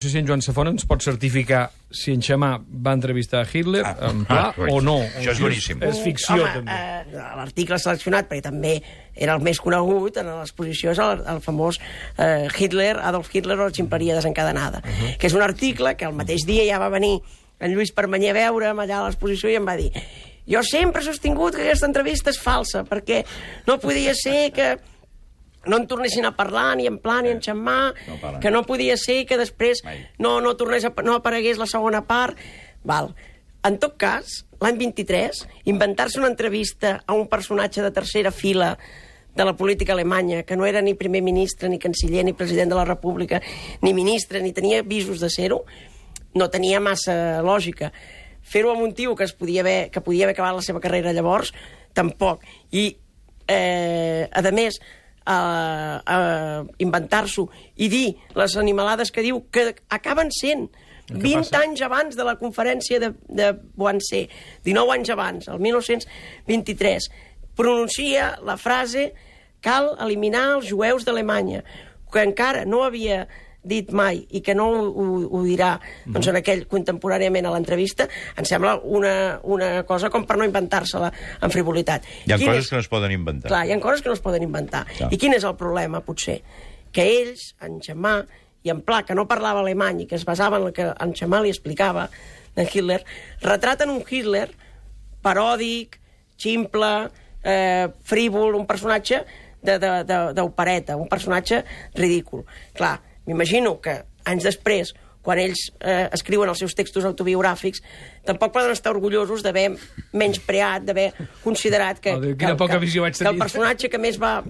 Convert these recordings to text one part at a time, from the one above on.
No sé si en Joan Safont ens pot certificar si en Xamà va entrevistar Hitler en pla o no. Això és boníssim. És ficció, Home, també. l'article seleccionat, perquè també era el més conegut en l'exposició, és el famós Adolf Hitler o la ximpleria desencadenada, que és un article que el mateix dia ja va venir en Lluís Permanyer a veure'm allà a l'exposició i em va dir: jo sempre he sostingut que aquesta entrevista és falsa, perquè no podia ser que no en tornessin a parlar ni en Pla ni en Xammà, que no podia ser que després no aparegués la segona part. Val. En tot cas, l'any 23, inventar-se una entrevista a un personatge de tercera fila de la política alemanya, que no era ni primer ministre, ni canciller, ni president de la república, ni ministre, ni tenia visos de ser-ho, no tenia massa lògica. Fer-ho amb un tio que podia haver acabat la seva carrera llavors, tampoc. I, a més, inventar-s'ho i dir les animalades que diu, que acaben sent 20 anys abans de la conferència de Wannsee, 19 anys abans, el 1923, pronuncia la frase «cal eliminar els jueus d'Alemanya», que encara no havia dit mai i que no ho dirà doncs, en aquell contemporàniament a l'entrevista. Em sembla una cosa com per no inventar-se-la en frivolitat. Hi ha coses que no es poden inventar. Clar, hi ha coses que no es poden inventar. Clar. I quin és el problema, potser? Que ells, en Xammà i en Pla, que no parlava alemany i que es basava en el que en Xammà li explicava de Hitler, retraten un Hitler paròdic, ximple, frívol, un personatge d'opereta, un personatge ridícul. Clar, m'imagino que anys després, quan ells escriuen els seus textos autobiogràfics, tampoc poden estar orgullosos d'haver menyspreat, d'haver considerat que el personatge que més va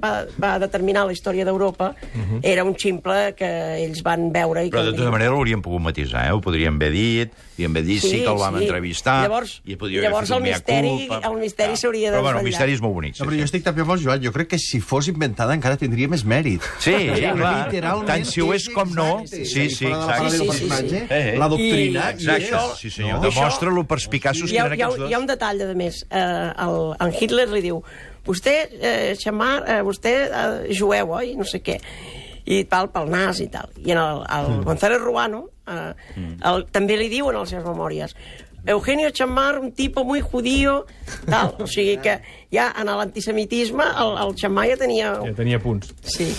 determinar la història d'Europa era un ximple que ells van veure. Però de tota manera l'haurien pogut matisar, ho podrien haver dit, sí que el vam entrevistar, i podria haver fet un mea culpa. El misteri s'hauria de desvetllar. Però bueno, el misteri és molt bonic. Però jo estic també amb el Joan, jo crec que si fos inventada encara tindria més mèrit. Sí, clar, tant si ho és com no. Sí, exacte. La doctrina. Exacte, sí senyor, demostra lo perspicaços que eren aquests dos. Hi ha un detall, a més. En Hitler li diu: vostè, Xammà, vostè jueu, oi? No sé què. I tal, pel nas i tal. I el González Ruano també li diu en les seves memòries: Eugenio Xammar, un tipo muy judío, tal. O sigui que ja en l'antisemitisme el Xammà ja tenia... Ja tenia punts. Sí.